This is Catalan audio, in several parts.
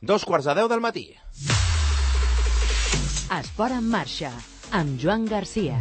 2:45 del matí. Esport en marxa, amb Joan Garcia.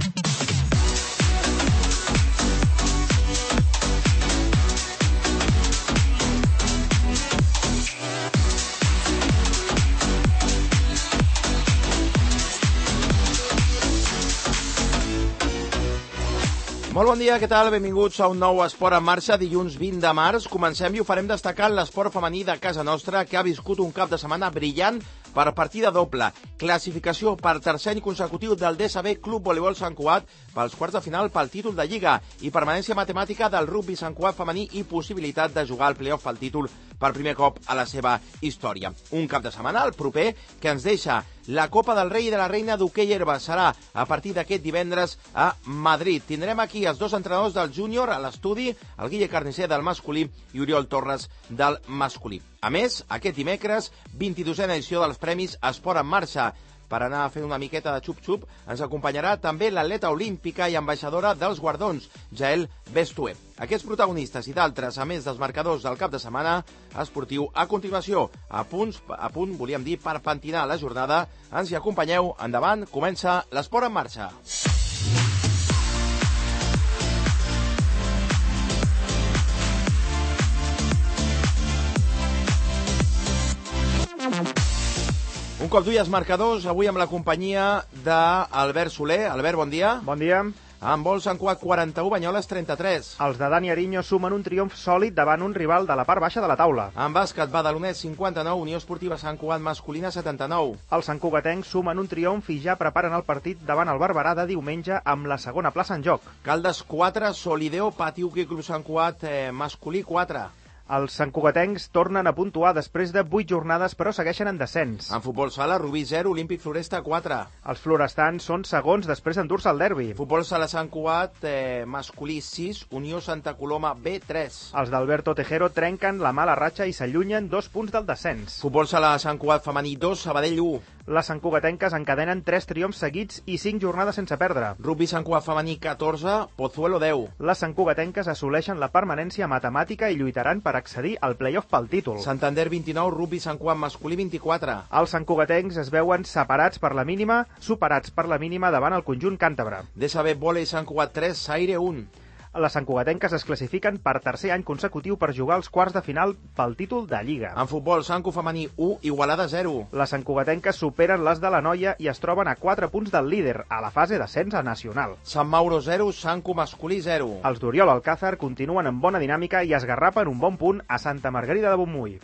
Molt bon dia, què tal? Benvinguts a un nou Esport en marxa, dilluns 20 de març. Comencem i ho farem destacant l'esport femení de casa nostra, que ha viscut un cap de setmana brillant per partida doble. Classificació per tercer any consecutiu del DSB Club Voleibol Sant Cugat pels quarts de final pel títol de Lliga i permanència matemàtica del rugby Sant Cugat femení i possibilitat de jugar al playoff pel títol per primer cop a la seva història. Un cap de setmana, el proper, que ens deixa la Copa del Rei i de la Reina d'hoquei herba. Serà a partir d'aquest divendres a Madrid. Tindrem aquí els dos entrenadors del júnior a l'estudi, el Guille Carnicer del masculí i Oriol Torres del masculí. A més, aquest dimecres, 22a edició dels Premis Esport en Marxa. Per anar fent una miqueta de xup-xup, ens acompanyarà també l'atleta olímpica i ambaixadora dels guardons, Jael Bestué. Aquests protagonistes i d'altres, a més dels marcadors del cap de setmana esportiu, a continuació, a punt, volíem dir, per pentinar la jornada. Ens hi acompanyeu. Endavant, comença l'Esport en Marxa. Un cop d'ull als marcadors, avui amb la companyia d'Albert Soler. Albert, bon dia. Bon dia. En vol Sant Cugat 41, Banyoles 33. Els de Dani Ariño sumen un triomf sòlid davant un rival de la part baixa de la taula. En bàsquet, Badalonès 59, Unió Esportiva Sant Cugat masculina 79. Els santcugatencs sumen un triomf i ja preparen el partit davant el Barberà de diumenge amb la segona plaça en joc. Caldes 4, Solideo, Pati Hoquei Club Sant Cugat masculí 4. Els santcugatencs tornen a puntuar després de 8 jornades, però segueixen en descens. En futbol sala, Rubí 0, Olímpic Floresta 4. Els florestans són segons després d'endur-se el derbi. Futbol sala Sant Cugat masculí 6, Unió Santa Coloma B 3. Els d'Alberto Tejero trenquen la mala ratxa i s'allunyen 2 punts del descens. Futbol sala Sant Cugat femení 2, Sabadell 1. Les santcugatenques encadenen 3 triomfs seguits i 5 jornades sense perdre. Rugby Sant Cugat femení 14, Pozuelo 10. Les santcugatenques assoleixen la permanència matemàtica i lluitaran per accedir al playoff pel títol. Santander 29, Rugby Sant Cugat masculí 24. Els santcugatencs es veuen superats per la mínima davant el conjunt càntabre. DSB Volei Sant Cugat 3, Saire 1. Les santcugatenques es classifiquen per tercer any consecutiu per jugar als quarts de final pel títol de Lliga. En futbol, Sant Cu femení 1, Igualada 0. Les santcugatenques superen les de la Noia i es troben a 4 punts del líder a la fase d'ascens a nacional. Sant Mauro 0, Sant Cu masculí 0. Els d'Oriol Alcázar continuen en bona dinàmica i esgarrapen un bon punt a Santa Margarida de Montmui.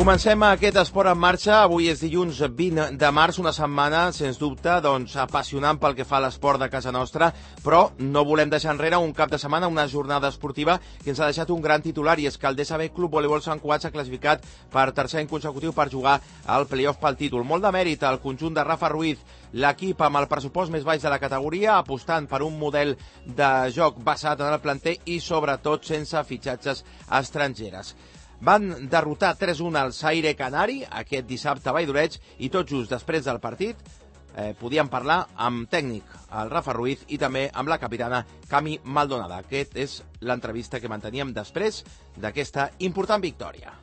Comencem aquest esport en marxa. Avui és dilluns 20 de març, una setmana, sens dubte, apassionant pel que fa a l'esport de casa nostra, però no volem deixar enrere un cap de setmana, una jornada esportiva que ens ha deixat un gran titular, i és que el DSB Club Voleibol Sant Cugat s'ha classificat per tercer any consecutiu per jugar al playoff pel títol. Molt de mèrit al conjunt de Rafa Ruiz, l'equip amb el pressupost més baix de la categoria, apostant per un model de joc basat en el planter i, sobretot, sense fitxatges estrangeres. Van derrotar 3-1 al Saire Canari aquest dissabte a Valldoreig i tot just després del partit podíem parlar amb tècnic, el Rafa Ruiz, i també amb la capitana Cami Maldonada. Aquest és l'entrevista que manteníem després d'aquesta important victòria.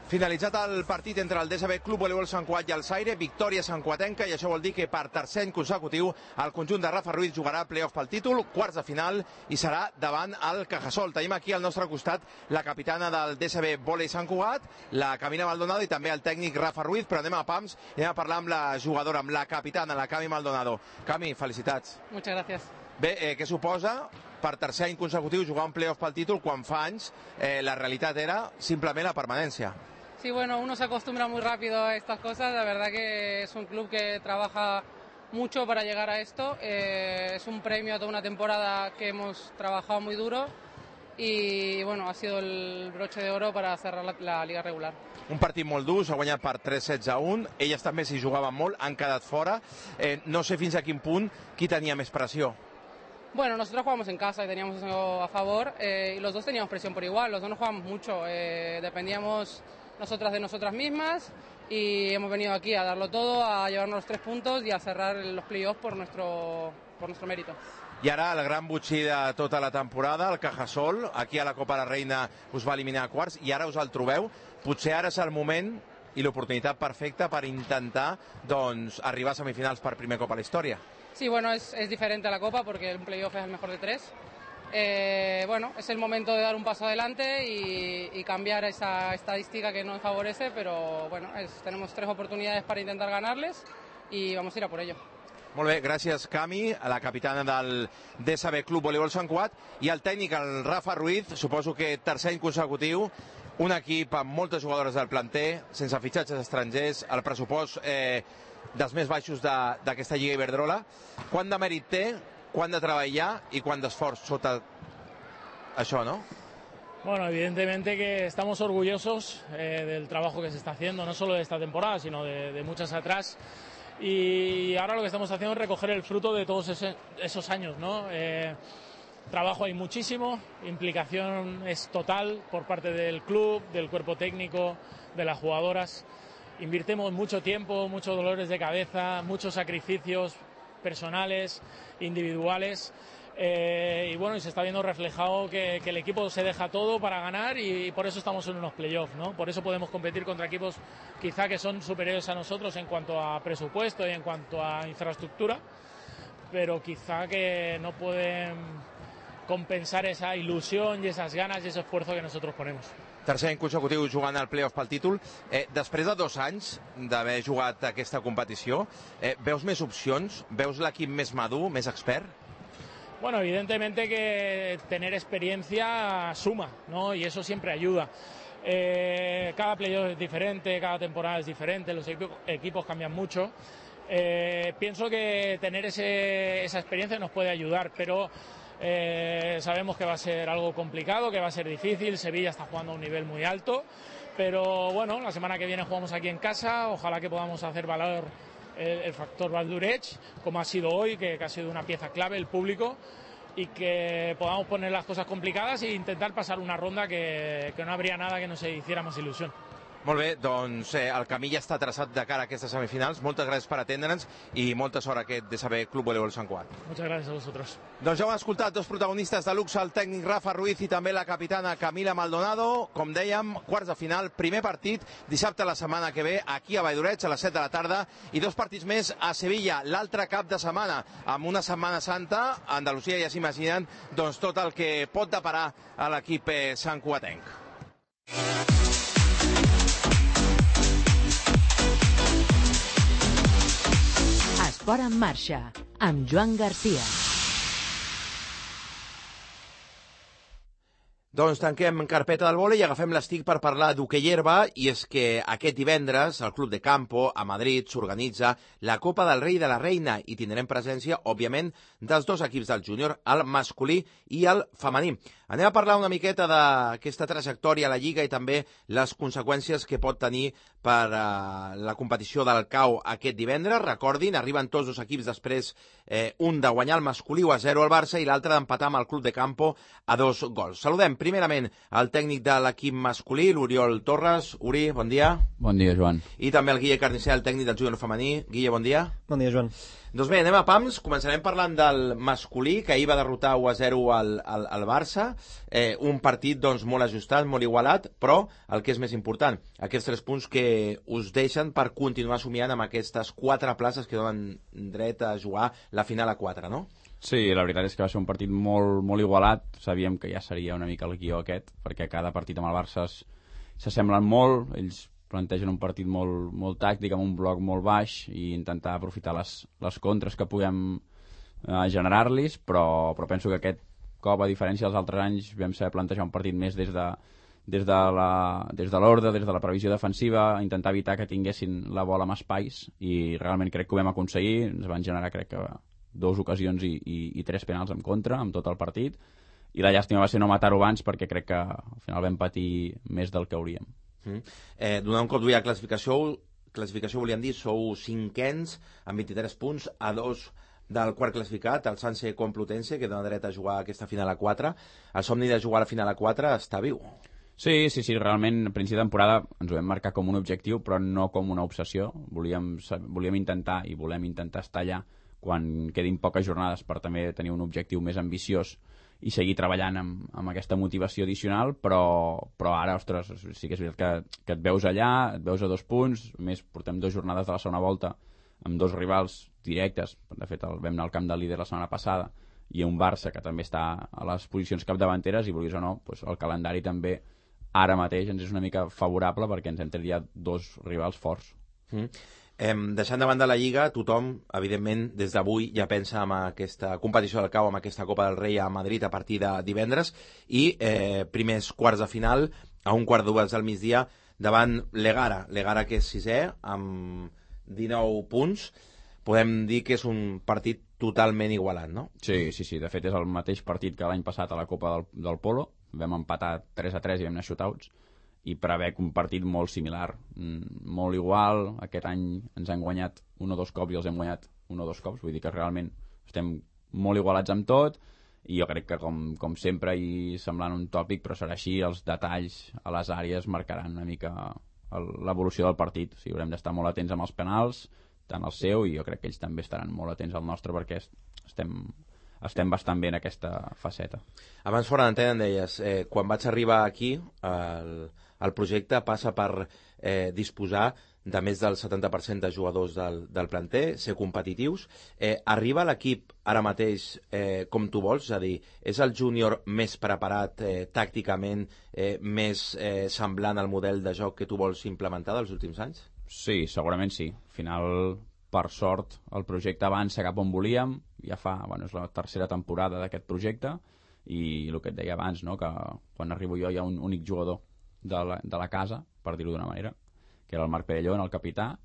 Finalitzat el partit entre el DSB Club Voleibol Sant Cugat i el Saire, victòria santcugatenca, i això vol dir que per tercer any consecutiu el conjunt de Rafa Ruiz jugarà playoff pel títol, quarts de final, i serà davant el Cajasol. Tenim aquí al nostre costat la capitana del DSB Volei Sant Cugat, la Camina Maldonado, i també el tècnic Rafa Ruiz, però anem a pams i anem a parlar amb la jugadora, amb la capitana, la Cami Maldonado. Cami, felicitats. Muchas gracias. Bé, què suposa per tercer any consecutiu jugar un playoff pel títol quan fa anys la realitat era simplement la permanència? Sí, bueno, uno se acostumbra muy rápido a estas cosas. La verdad que es un club que trabaja mucho para llegar a esto. Es un premio a toda una temporada que hemos trabajado muy duro y bueno, ha sido el broche de oro para cerrar la liga regular. Un partit molt dur, s'ha guanyat per 3-16-1, elles també s'hi jugaven molt, han quedat fora. No sé fins a quin punt qui tenia més pressió. Bueno, nosotros jugamos en casa y teníamos eso a favor, y los dos teníamos presión por igual, los dos no jugamos mucho, dependíamos nosotras de nosotras mismas y hemos venido aquí a darlo todo, a llevarnos los 3 puntos y a cerrar los playoffs por nuestro mérito. I ara el gran botxí de tota la temporada, el Cajasol, aquí a la Copa de la Reina us va eliminar a quarts i ara us el trobeu. Potser ara és el moment i l'oportunitat perfecta per intentar arribar a semifinals per primer cop a la història. Sí, bueno, es diferente a la Copa porque un playoff es el mejor de 3. Bueno, es el momento de dar un paso adelante y cambiar esa estadística que nos favorece, pero bueno, tenemos 3 oportunidades para intentar ganarles y vamos a ir a por ello. Molt bé, gràcies Cami, a la capitana del DSB Club Voleibol Sant Cugat, i el tècnic, el Rafa Ruiz, suposo que tercer any consecutiu, un equip amb moltes jugadores del planter, sense fitxatges estrangers, el pressupost dels més baixos d'aquesta Lliga Iberdrola. Quant de mèrit té, quant de treball hi ha i quant d'esforç sota això, no? Bueno, evidentemente que estamos orgullosos del trabajo que se está haciendo, no solo de esta temporada, sino de muchas atrás. Y ahora lo que estamos haciendo es recoger el fruto de todos esos años, ¿no? Trabajo hay muchísimo, implicación es total por parte del club, del cuerpo técnico, de las jugadoras. Invirtemos mucho tiempo, muchos dolores de cabeza, muchos sacrificios personales, individuales. Y bueno, y se está viendo reflejado que el equipo se deja todo para ganar y por eso estamos en unos playoffs, ¿no? Por eso podemos competir contra equipos quizá que son superiores a nosotros en cuanto a presupuesto y en cuanto a infraestructura, pero quizá que no pueden compensar esa ilusión y esas ganas y ese esfuerzo que nosotros ponemos. Tercer any consecutiu jugant al playoff pel títol. Després de 2 anys d'haver jugat aquesta competició, veus més opcions? Veus l'equip més madur, més expert? Bueno, evidentemente que tener experiencia suma, ¿no? Y eso siempre ayuda. Cada playoff es diferente, cada temporada es diferente, los equipos cambian mucho. Pienso que tener esa experiencia nos puede ayudar, pero sabemos que va a ser algo complicado, que va a ser difícil. Sevilla está jugando a un nivel muy alto, pero bueno, la semana que viene jugamos aquí en casa, ojalá que podamos hacer valor el factor Valdureig, como ha sido hoy, que ha sido una pieza clave, el público, y que podamos poner las cosas complicadas e intentar pasar una ronda que no habría nada que nos hiciera más ilusión. Molt bé, doncs el camí ja està traçat de cara a aquestes semifinals. Moltes gràcies per atendre'ns i molta sort a aquest DSB Club Voleibol Sant Cugat. Muchas gracias a vosotros. Doncs ja ho hem escoltat, 2 protagonistes de luxe, el tècnic Rafa Ruiz i també la capitana Camila Maldonado. Com dèiem, quarts de final, primer partit, dissabte la setmana que ve, aquí a Valldoreig, a les 7 de la tarda, i 2 partits més a Sevilla, l'altre cap de setmana, amb una Setmana Santa. A Andalusia ja s'imaginen doncs, tot el que pot deparar a l'equip santcugatenc. Esport en marxa, amb Joan Garcia. Doncs tanquem carpeta del vòlei i agafem l'estic per parlar d'hoquei herba, i és que aquest divendres al Club de Campo, a Madrid, s'organitza la Copa del Rei i de la Reina i tindrem presència, òbviament, dels 2 equips del júnior, el masculí i el femení. Anem a parlar una miqueta d'aquesta trajectòria a la Lliga i també les conseqüències que pot tenir per la competició del CAO aquest divendres. Recordin, arriben tots 2 equips després, un de guanyar el masculí 1-0 al Barça i l'altre d'empatar amb el Club de Campo a 2 gols. Saludem primerament el tècnic de l'equip masculí, l'Oriol Torres. Uri, bon dia. Bon dia, Joan. I també el Guille Carnicer, el tècnic del júnior femení. Guille, bon dia. Bon dia, Joan. Doncs bé, anem a pams. Començarem parlant del masculí, que ahir va derrotar 1-0 al Barça. Un partit doncs, molt ajustat, molt igualat, però el que és més important, aquests 3 punts que us deixen per continuar somiant amb aquestes 4 places que donen dret a jugar la final a 4, no? Sí, la veritat és que va ser un partit molt, molt igualat. Sabíem que ja seria una mica el guió aquest, perquè cada partit amb el Barça s'assemblen molt. Ells plantegen un partit molt tàctic, amb un bloc molt baix, i intentar aprofitar les contres que puguem generar-los, però penso que aquest cop, a diferència dels altres anys, vam saber plantejar un partit més des de l'ordre, des de la previsió defensiva, intentar evitar que tinguessin la bola amb espais, i realment crec que ho vam aconseguir. Ens van generar, crec que, 2 ocasions i 3 penals en contra, amb tot el partit, i la llàstima va ser no matar-ho abans, perquè crec que al final vam patir més del que hauríem. Donant un cop d'ull a la classificació volíem dir, sou cinquens amb 23 punts, a 2 del quart classificat, el Sanse Complutense, que dona dret a jugar aquesta final a 4. El somni de jugar a la final a 4 està viu. Sí, realment a principi de temporada ens ho vam marcar com un objectiu, però no com una obsessió. Volíem intentar i volem intentar estar allà quan quedin poques jornades per també tenir un objectiu més ambiciós i seguir treballant amb aquesta motivació addicional, però ara, ostres, sí que és veritat que et veus allà, et veus a 2 punts, més portem 2 jornades de la segona volta amb 2 rivals directes, de fet vam anar al camp del líder la setmana passada, i un Barça que també està a les posicions capdavanteres, i vulguis o no, doncs el calendari també ara mateix ens és una mica favorable perquè ens hem tret ja 2 rivals forts. Deixant de banda la Lliga, tothom, evidentment, des d'avui ja pensa en aquesta competició del CAO, en aquesta Copa del Rei a Madrid a partir de divendres, i primers quarts de final a 1:15 del migdia davant l'Egara que és 6è amb 19 punts. Podem dir que és un partit totalment igualat, no? Sí, de fet és el mateix partit que l'any passat a la Copa del Polo, vam empatar 3-3 i vam anar shootouts, i prevec un partit molt similar, molt igual. Aquest any ens han guanyat 1 o 2 cops i els hem guanyat 1 o 2 cops, vull dir que realment estem molt igualats amb tot, i jo crec que com sempre, i semblant un tòpic, però serà així, els detalls a les àrees marcaran una mica l'evolució del partit. O sigui, haurem d'estar molt atents amb els penals, tant el seu, i jo crec que ells també estaran molt atents al nostre, perquè estem bastant bé en aquesta faceta. Abans fora d'antena em deies, quan vaig arribar aquí, el projecte passa per disposar de més del 70% de jugadors del planter, ser competitius. Arriba l'equip ara mateix com tu vols? És a dir, és el júnior més preparat tàcticament, més semblant al model de joc que tu vols implementar dels últims anys? Sí, segurament sí. Al final, per sort, el projecte avança cap on volíem. Ja és la tercera temporada d'aquest projecte, i el que et deia abans, no? Que quan arribo jo hi ha un únic jugador de la casa, per dir-ho d'una manera, que era el Marc Perelló, el capità,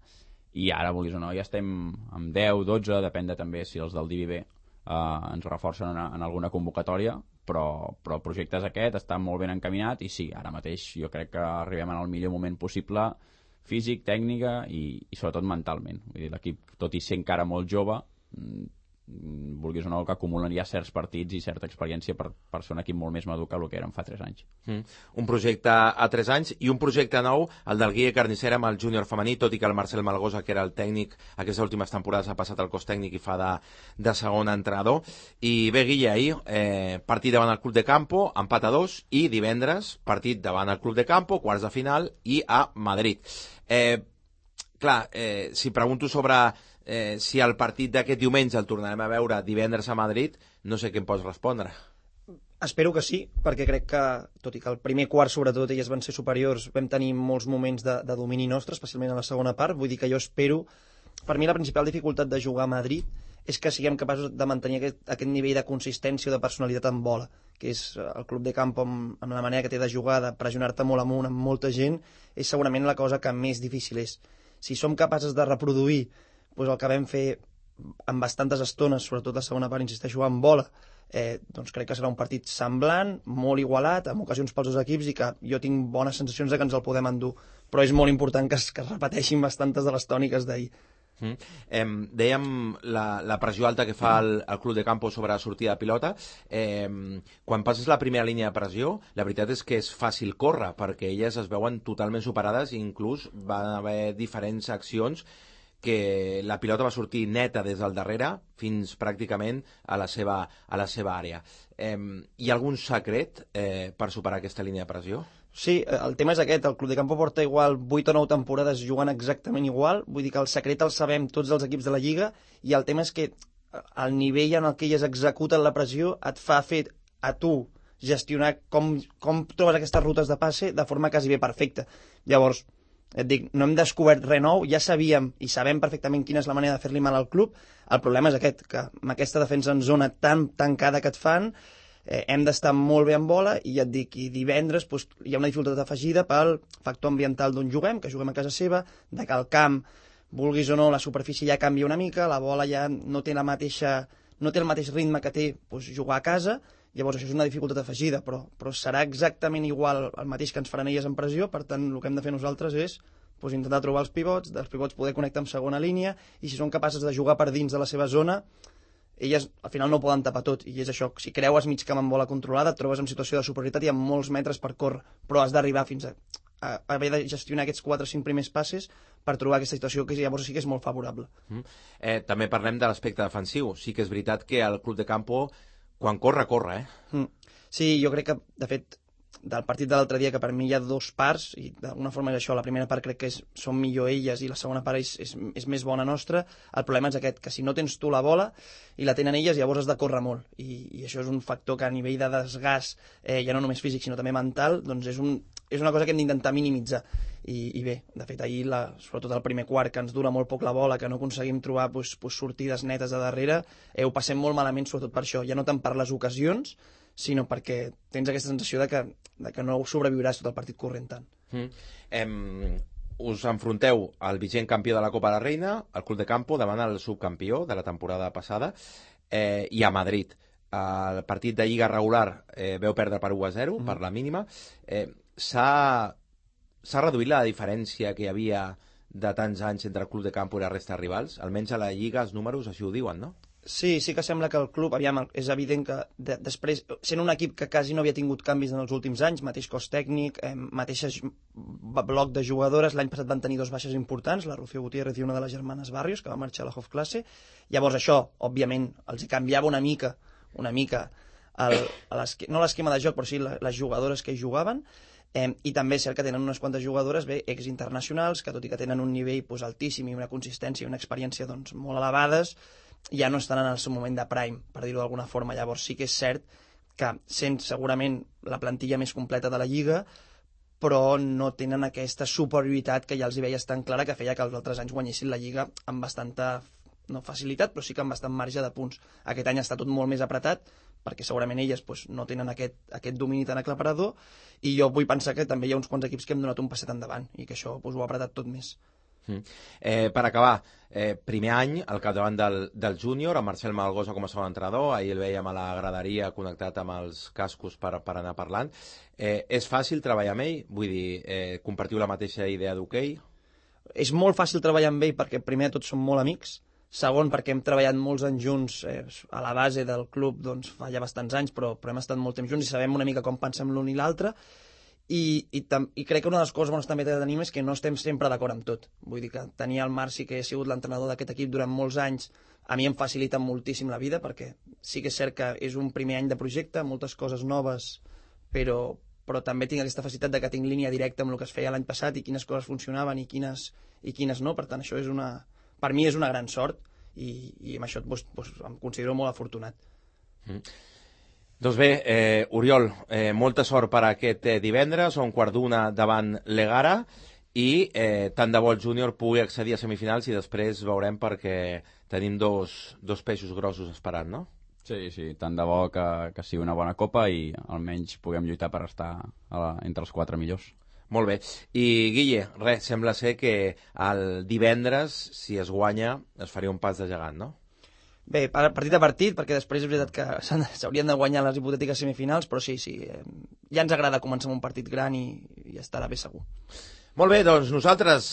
i ara, vulguis o no, ja estem amb 10, 12, depèn de també si els del DVB ens reforcen en alguna convocatòria, però el projecte és aquest, està molt ben encaminat, i sí, ara mateix jo crec que arribem en el millor moment possible, físic, tècnica i sobretot mentalment. Vull dir, l'equip, tot i ser encara molt jove, vulguis o no, que acumulen ja certs partits i certa experiència per ser un equip molt més madur que el que eren fa 3 anys. Un projecte a 3 anys i un projecte nou, el del Guille Carnicera amb el júnior femení, tot i que el Marcel Malgosa, que era el tècnic aquestes últimes temporades, ha passat al cos tècnic i fa de segon entrenador. I bé, Guille, ahir partit davant el Club de Campo, empat a 2, i divendres partit davant el Club de Campo, quarts de final, i a Madrid. Si pregunto sobre si el partit d'aquest diumenge el tornarem a veure divendres a Madrid, no sé què em pots respondre. Espero que sí, perquè crec que, tot i que el primer quart sobretot elles van ser superiors, vam tenir molts moments de domini nostre, especialment a la segona part. Vull dir que jo espero, per mi la principal dificultat de jugar a Madrid és que siguem capaços de mantenir aquest nivell de consistència o de personalitat en bola, que és el Club de Campo amb la manera que té de jugar, de pressionar-te molt amunt amb molta gent, és segurament la cosa que més difícil és. Si som capaces de reproduir el que vam fer en bastantes estones, sobretot la segona part, insisteixo, en bola, doncs crec que serà un partit semblant, molt igualat, amb ocasions pels dos equips, i que jo tinc bones sensacions de que ens el podem endur. Però és molt important que es repeteixin bastantes de les tòniques d'ahir. Dèiem la pressió alta que fa el Club de Campo sobre la sortida de pilota. Quan passes la primera línia de pressió, la veritat és que és fàcil córrer, perquè elles es veuen totalment superades, i inclús van haver diferents accions que la pilota va sortir neta des del darrere fins pràcticament a la seva àrea. Hi ha algun secret per superar aquesta línia de pressió? Sí, el tema és aquest. El Club de Campo porta igual 8 o 9 temporades jugant exactament igual. Vull dir que el secret el sabem tots els equips de la Lliga, i el tema és que el nivell en el que elles executen la pressió et fa fer a tu gestionar com trobes aquestes rutes de passe de forma quasi bé perfecta. Llavors, et dic, no hem descobert res nou, ja sabíem i sabem perfectament quina és la manera de fer-li mal al club. El problema és aquest, que amb aquesta defensa en zona tan tancada que et fan, hem d'estar molt bé en bola, i ja et dic, i divendres hi ha una dificultat afegida pel factor ambiental d'on juguem, que juguem a casa seva, de que el camp, vulguis o no, la superfície ja canvia una mica, la bola ja no té el mateix ritme que té jugar a casa, Llavors això és una dificultat afegida, però serà exactament igual el mateix que ens faran elles en pressió, per tant el que hem de fer nosaltres és intentar trobar els pivots, dels pivots poder connectar amb segona línia, i si són capaces de jugar per dins de la seva zona, elles al final no poden tapar tot, i és això, si creues mig camp amb bola controlada, et trobes en situació de superioritat i amb molts metres per córrer, però has d'arribar fins a haver de gestionar aquests 4 o 5 primers passes per trobar aquesta situació que llavors sí que és molt favorable. També parlem de l'aspecte defensiu. Sí que és veritat que el Club de Campo, quan corre, corre, Sí, jo crec que, de fet, del partit de l'altre dia, que per mi hi ha 2 parts, i d'alguna forma és això, la primera part crec que són millor elles i la segona part és més bona nostra. El problema és aquest, que si no tens tu la bola i la tenen elles, llavors has de córrer molt, i això és un factor que a nivell de desgast, ja no només físic sinó també mental, doncs és una cosa que hem d'intentar minimitzar. I bé, de fet ahir, sobretot el primer quart, que ens dura molt poc la bola, que no aconseguim trobar sortides netes de darrere, ho passem molt malament sobretot per això, ja no tant per les ocasions, sinó perquè tens aquesta sensació de que no sobreviuràs tot el partit corrent tant. Us enfronteu al vigent campió de la Copa de la Reina, el Club de Campo, davant el subcampió de la temporada passada, i a Madrid. El partit de Lliga regular veu perdre per 1-0, per la mínima. S'ha reduït la diferència que hi havia de tants anys entre el Club de Campo i la resta de rivals? Almenys a la Lliga els números així ho diuen, no? Sí que sembla que el club, és evident que després, sent un equip que quasi no havia tingut canvis en els últims anys, mateix cos tècnic, mateix bloc de jugadores, l'any passat van tenir 2 baixes importants, la Rocío Gutiérrez i una de les germanes Barrios, que va marxar a la Hofklasse. Llavors això, òbviament, els hi canviava una mica no l'esquema de joc, però sí les jugadores que hi jugaven, i també és cert que tenen unes quantes jugadores exinternacionals, que tot i que tenen un nivell altíssim i una consistència i una experiència molt elevades, ja no estan en el seu moment de prime, per dir-ho d'alguna forma. Llavors sí que és cert que sent segurament la plantilla més completa de la Lliga, però no tenen aquesta superioritat que ja els hi veies tan clara, que feia que els altres anys guanyessin la Lliga amb bastanta, no facilitat, però sí que amb bastant marge de punts. Aquest any està tot molt més apretat, perquè segurament elles no tenen aquest domini tan aclaparador, i jo vull pensar que també hi ha uns quants equips que hem donat un passet endavant, i que això ho ha apretat tot més. Per acabar, primer any al capdavant del júnior, amb Marcel Malgosa com a segon entrenador. Ahir el veiem a la graderia connectat amb els cascos per anar parlant. És fàcil treballar amb ell? Vull dir, compartiu la mateixa idea d'hoquei? És molt fàcil treballar amb ell perquè primer de tot som molt amics, segon perquè hem treballat molts anys junts a la base del club, doncs fa ja bastants anys, però hem estat molt temps junts i sabem una mica com pensem l'un i l'altre. I crec que una de les coses bones també que tenim és que no estem sempre d'acord amb tot. Vull dir que tenir el Marci, que ha sigut l'entrenador d'aquest equip durant molts anys, a mi em facilita moltíssim la vida, perquè sí que és cert que és un primer any de projecte, moltes coses noves, però també tinc aquesta facilitat de que tinc línia directa amb el que es feia l'any passat i quines coses funcionaven i quines no. Per tant, això per mi és una gran sort i amb això em considero molt afortunat. Doncs bé, Oriol, molta sort per aquest divendres, a 1:15 davant l'Egara, i tant de bo el júnior pugui accedir a semifinals i després veurem, perquè tenim dos peixos grossos esperant, no? Sí, tant de bo que sigui una bona copa i almenys puguem lluitar per estar entre els 4 millors. Molt bé. I Guille, sembla ser que el divendres, si es guanya, es faria un pas de gegant, no? Bé, partit a partit, perquè després és veritat que s'haurien de guanyar les hipotètiques semifinals, però sí, ja ens agrada començar amb un partit gran i estarà bé segur. Molt bé, doncs nosaltres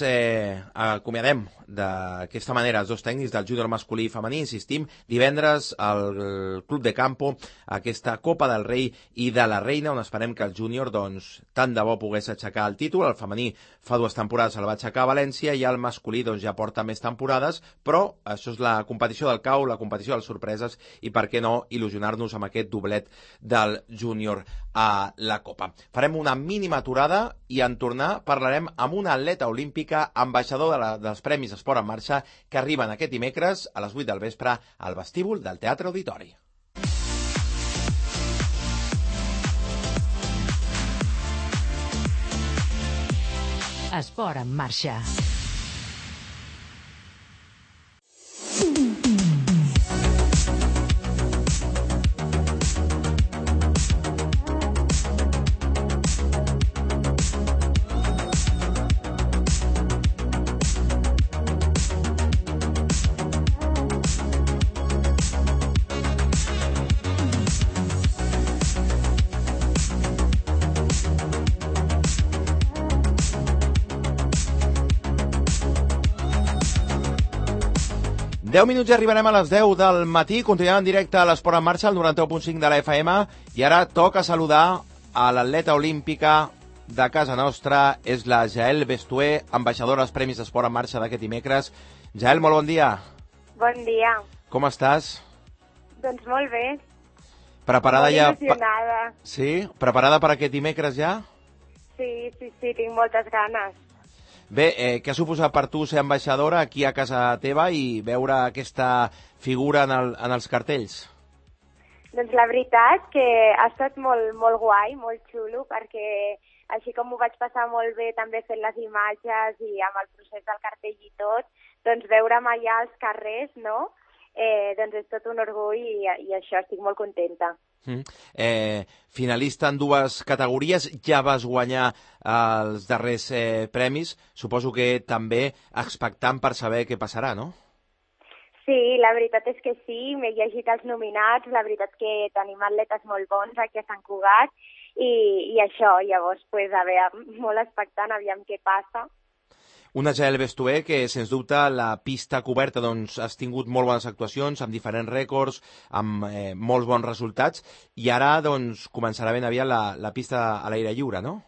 acomiadem d'aquesta manera els dos tècnics del júnior masculí i femení. Insistim, divendres al Club de Campo, aquesta Copa del Rei i de la Reina, on esperem que el júnior, doncs, tant de bo pogués aixecar el títol. El femení fa 2 temporades el va aixecar a València i el masculí doncs, ja porta més temporades, però això és la competició del cau, la competició de les sorpreses, i per què no il·lusionar-nos amb aquest doblet del júnior a la Copa. Farem una mínima aturada i en tornar parlarem amb una atleta olímpica, ambaixador dels Premis Esport en Marxa, que arriben aquest dimecres a les 8 del vespre al vestíbul del Teatre Auditori. Esport en Marxa. 10 minuts i arribarem a les 10 del matí. Continuem en directe a l'Esport en Marxa, al 91.5 de la FM. I ara toca saludar a l'atleta olímpica de casa nostra. És la Jael Bestué, ambaixadora als Premis d'Esport en Marxa d'aquest dimecres. Jael, molt bon dia. Bon dia. Com estàs? Doncs molt bé. Preparada ja... Molt il·lusionada. Sí? Preparada per aquest dimecres ja? Sí, tinc moltes ganes. Bé, què ha suposat per tu ser ambaixadora aquí a casa teva i veure aquesta figura en els cartells? Doncs la veritat que ha estat molt guai, molt xulo, perquè així com m'ho vaig passar molt bé també fent les imatges i amb el procés del cartell i tot, doncs veure'm allà als carrers, no? Doncs és tot un orgull i això, estic molt contenta. Finalista en dues categories, ja vas guanyar els darrers premis, suposo que també expectant per saber què passarà, no? Sí, la veritat és que sí, m'he llegit els nominats, la veritat que tenim atletes molt bons aquí a Sant Cugat i això, llavors, a veure, molt expectant, aviam què passa. Una Jael Bestué que, sens dubte, la pista coberta doncs, has tingut molt bones actuacions, amb diferents rècords, amb molts bons resultats, i ara doncs, començarà ben aviat la pista a l'aire lliure, no?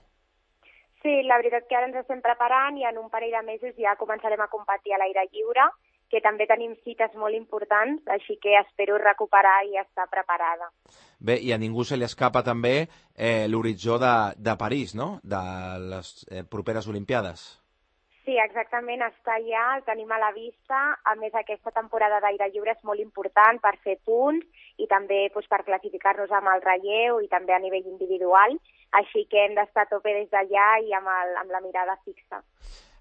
Sí, la veritat que ara ens estem preparant i en un parell de mesos ja començarem a competir a l'aire lliure, que també tenim cites molt importants, així que espero recuperar i estar preparada. Bé, i a ningú se li escapa també l'horitzó de París, no?, de les properes Olimpiades. Sí, exactament, està allà, el tenim a la vista. A més, aquesta temporada d'aire lliure és molt important per fer punts i també per classificar-nos amb el relleu i també a nivell individual. Així que hem d'estar a tope des d'allà i amb la mirada fixa.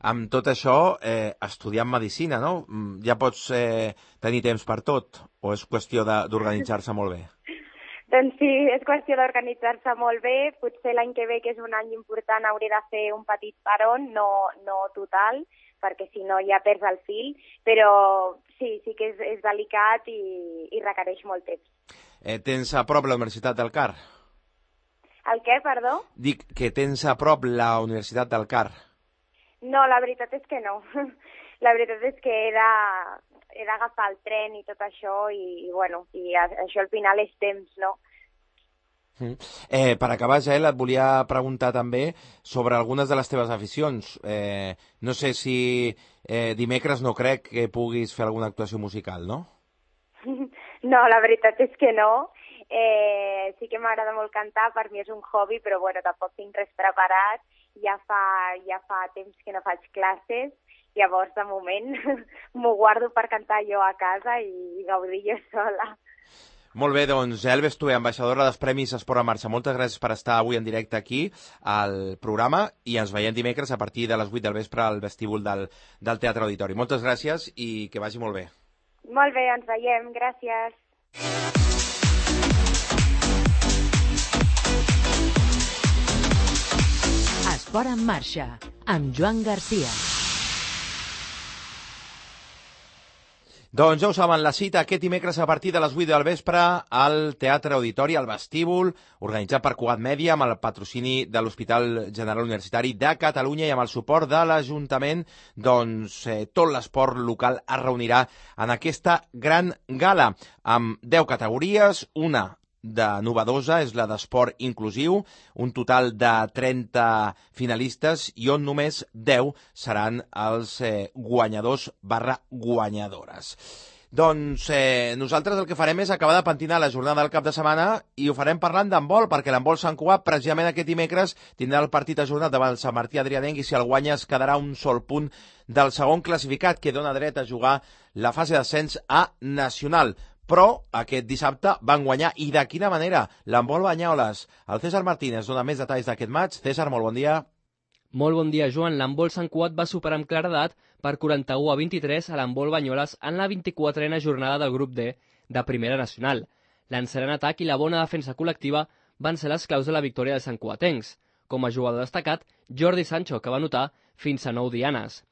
Amb tot això, estudiant medicina, no? Ja pots tenir temps per tot o és qüestió d'organitzar-se molt bé? Doncs sí, és qüestió d'organitzar-se molt bé. Potser l'any que ve, que és un any important, hauré de fer un petit paron, no total, perquè si no ja perds el fil. Però sí que és delicat i requereix molt temps. Tens a prop la Universitat del Car? El què, perdó? Dic que tens a prop la Universitat del Car. No, la veritat és que no. La veritat és que he d'agafar el tren i tot això i això al final és temps, no? Per acabar, Jael, et volia preguntar també sobre algunes de les teves aficions. No sé si dimecres no crec que puguis fer alguna actuació musical, no? No, la veritat és que no. Sí que m'agrada molt cantar, per mi és un hobby, però tampoc tinc res preparat. Ja fa temps que no faig classes. Llavors, de moment, m'ho guardo per cantar jo a casa i gaudir jo sola. Molt bé, doncs, Jael Bestué, ambaixadora dels Premis Esport en Marxa. Moltes gràcies per estar avui en directe aquí al programa i ens veiem dimecres a partir de les 8 del vespre al vestíbul del Teatre Auditori. Moltes gràcies i que vagi molt bé. Molt bé, ens veiem. Gràcies. Esport en Marxa, amb Joan Garcia. Doncs ja ho saben, la cita aquest dimecres a partir de les 8 del vespre al Teatre Auditori, al vestíbul, organitzat per Cugat Mèdia, amb el patrocini de l'Hospital General Universitari de Catalunya i amb el suport de l'Ajuntament. Doncs tot l'esport local es reunirà en aquesta gran gala, amb 10 categories, una de novedosa, és la d'esport inclusiu, un total de 30 finalistes i on només 10 seran els guanyadors/guanyadores. Doncs nosaltres el que farem és acabar de pentinar la jornada del cap de setmana i ho farem parlant d'handbol, perquè l'handbol Sant Cugat precisament aquest dimecres tindrà el partit ajornat davant el Sant Martí Adrianenc i si el guanya es quedarà un sol punt del segon classificat que dona dret a jugar la fase d'ascens a Nacional. Però aquest dissabte van guanyar, i de quina manera, l'handbol Banyoles. El César Martínez dona més detalls d'aquest maig. César, molt bon dia. Molt bon dia, Joan. L'handbol Sant Cugat va superar amb claredat per 41-23 a l'handbol Banyoles en la 24a jornada del grup D de Primera Nacional. L'encert en atac i la bona defensa col·lectiva van ser les claus de la victòria dels santcugatencs. Com a jugador destacat, Jordi Sancho, que va anotar fins a 9 dianes.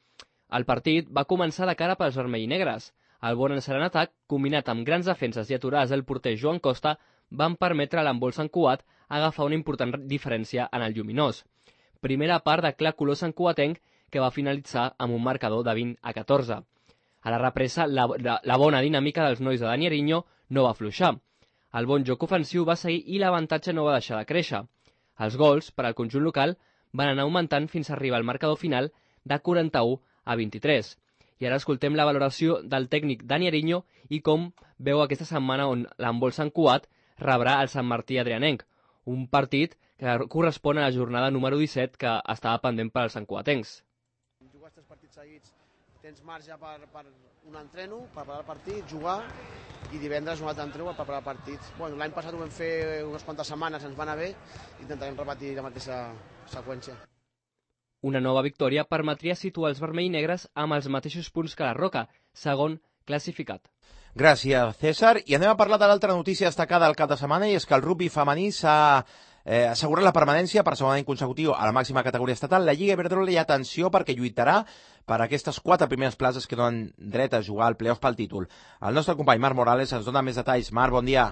El partit va començar de cara pels vermell i negres. El bon encert en atac, combinat amb grans defenses i aturades del porter Joan Costa, van permetre a l'handbol Sant Cugat agafar una important diferència en el lluminós. Primera part de clar color santcugatenc que va finalitzar amb un marcador de 20-14. A la represa, la bona dinàmica dels nois de Dani Ariño no va afluixar. El bon joc ofensiu va seguir i l'avantatge no va deixar de créixer. Els gols, per al conjunt local, van anar augmentant fins a arribar al marcador final de 41-23. I ara escoltem la valoració del tècnic Dani Ariño i com veu aquesta setmana on l'handbol Sant Cugat rebrà el Sant Martí Adrianenc, un partit que correspon a la jornada número 17 que estava pendent per als santcugatencs. Jugar 3 partits seguits, tens marge per un entreno, per preparar el partit, jugar, i divendres un altre entreno per preparar partits. Bueno, l'any passat ho vam fer unes quantes setmanes, ens va anar bé, intentarem repetir la mateixa seqüència. Una nova victòria permetria situar els vermell i negres amb els mateixos punts que la Roca, segon classificat. Gràcies, César. I anem a parlar de l'altra notícia destacada del cap de setmana, i és que el rugby femení s'ha assegurat la permanència per segon any consecutiu a la màxima categoria estatal. La Lliga Iberdrola, i atenció, perquè lluitarà per aquestes 4 primeres places que donen dret a jugar al playoff pel títol. El nostre company Marc Morales ens dona més detalls. Marc, bon dia.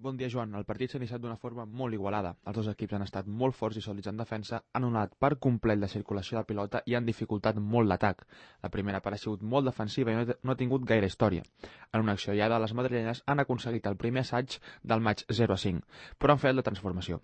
Bon dia, Joan. El partit s'ha iniciat d'una forma molt igualada. Els dos equips han estat molt forts i sòlids en defensa, han anul·lat per complet la circulació de pilota i han dificultat molt l'atac. La primera part ha sigut molt defensiva i no ha tingut gaire història. En una acció aïllada, les madrilenyes han aconseguit el primer assaig del maig 0-5, però han fet la transformació.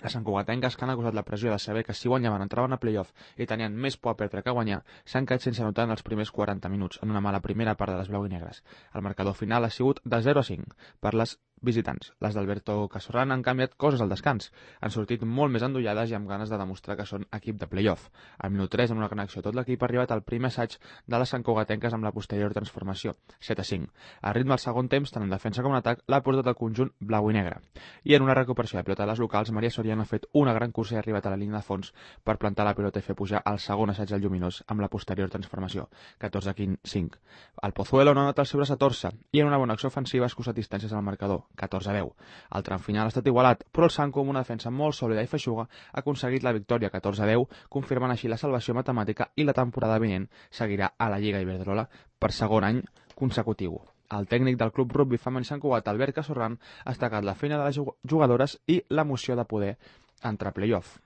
Les santcugatenques, que han acusat la pressió de saber que si guanyaven entraven a playoff i tenien més por a perdre que guanyar, s'han quedat sense anotar en els primers 40 minuts, en una mala primera part de les blau i negres. El marcador final ha sigut de 0-5 per les visitants. Les d'Alberto Casorran han canviat coses al descans. Han sortit molt més endollades i amb ganes de demostrar que són equip de playoff. Al minut 3, en una gran acció, tot l'equip ha arribat al primer assaig de les santcugatenques amb la posterior transformació, 7-5. Al ritme del segon temps, tant en defensa com en atac, l'ha portat el conjunt blau i negre. I en una recuperació de pilota de les locals, Maria Soriano ha fet una gran cursa i ha arribat a la línia de fons per plantar la pilota i fer pujar el segon assaig del Lluminós amb la posterior transformació, 14-5. El Pozuelo no ha anat el seu braç a torça i en una bona acció ofensiva ha escurçat distàncies al marcador, 14-10. El tram final ha estat igualat, però el Sanco, amb una defensa molt sòlida i feixuga, ha aconseguit la victòria 14-10, confirmant així la salvació matemàtica, i la temporada vinent seguirà a la Lliga Iberdrola per segon any consecutiu. El tècnic del club rugby femení Sant Cugat, Albert Casorran, ha destacat la feina de les jugadores i l'emoció de poder entrar a playoff.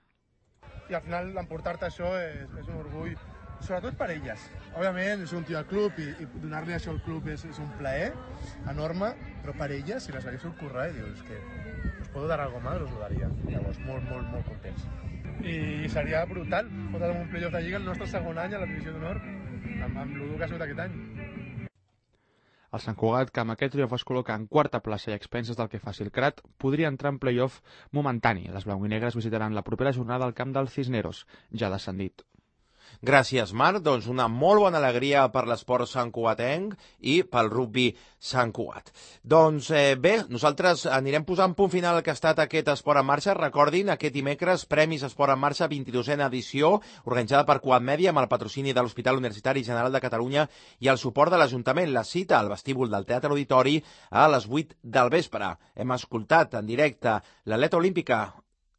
I al final emportar-te això és un orgull, sobretot per elles. Òbviament, és un tio al club i donar-li això al club és un plaer enorme, però per elles, si les hagués currar, dius que us puedo dar algo más, us ho daria. Llavors, molt contents. I seria brutal fotre un playoff de Lliga el nostre segon any a la divisió d'honor, amb l'Udu que ha sigut aquest any. El Sant Cugat, que amb aquest triomf es col·loca en quarta plaça i a expenses del que faci el Crat, podria entrar en playoff momentani. Les blau i negres visitaran la propera jornada al camp del Cisneros, ja descendit. Gràcies, Marc. Doncs una molt bona alegria per l'esport santcugatenc i pel rugby Sant Cugat. Doncs bé, nosaltres anirem posant punt final al que ha estat aquest Esport en Marxa. Recordin, aquest dimecres, Premis Esport en Marxa, 22a edició, organitzada per Cugat Mèdia amb el patrocini de l'Hospital Universitari General de Catalunya i el suport de l'Ajuntament. La cita al vestíbul del Teatre Auditori a les 8 del vespre. Hem escoltat en directe l'atleta olímpica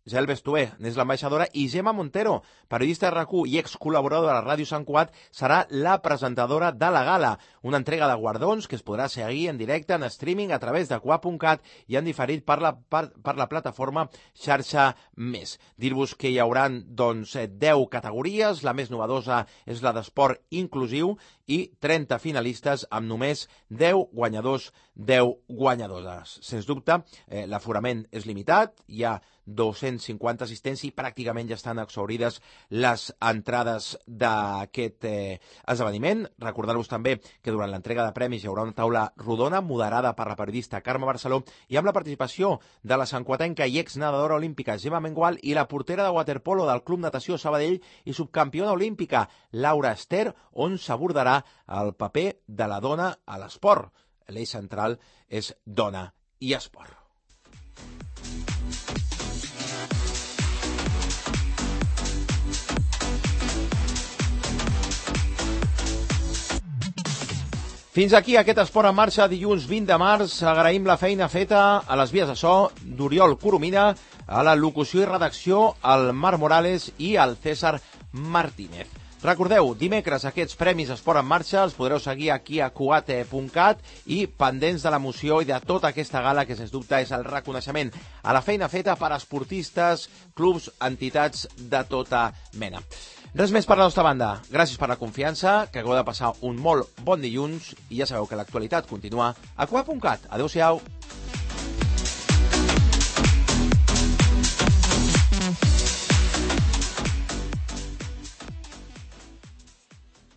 Gel Bestué, n'és l'ambaixadora, i Gemma Montero, periodista de RAC1 i excol·laboradora de la Ràdio Sant Cugat, serà la presentadora de la gala, una entrega de guardons que es podrà seguir en directe en streaming a través de cugat.cat i en diferit per la plataforma Xarxa Més. Dir-vos que hi haurà 10 categories, la més novedosa és la d'esport inclusiu i 30 finalistes amb només 10 guanyadors, 10 guanyadores. Sens dubte, l'aforament és limitat, hi ha 250 assistents i pràcticament ja estan exhaurides les entrades d'aquest esdeveniment. Recordar-vos també que durant l'entrega de premis hi haurà una taula rodona moderada per la periodista Carme Barceló i amb la participació de la santcugatenca i exnedadora olímpica Gemma Mengual i la portera de waterpolo del Club Natació Sabadell i subcampiona olímpica Laura Ester, on s'abordarà el paper de la dona a l'esport. L'eix central és dona i esport. Fins aquí aquest Esport en Marxa, dilluns 20 de març. Agraïm la feina feta a les vies de so d'Oriol Coromina, a la locució i redacció al Marc Morales i al César Martínez. Recordeu, dimecres aquests Premis Esport en Marxa els podreu seguir aquí a cugat.cat i pendents de l'emoció i de tota aquesta gala que sens dubte és el reconeixement a la feina feta per esportistes, clubs, entitats de tota mena. Res més per la nostra banda. Gràcies per la confiança, que acabeu de passar un molt bon dilluns i ja sabeu que l'actualitat continua a Cugat.cat. Adéu-siau.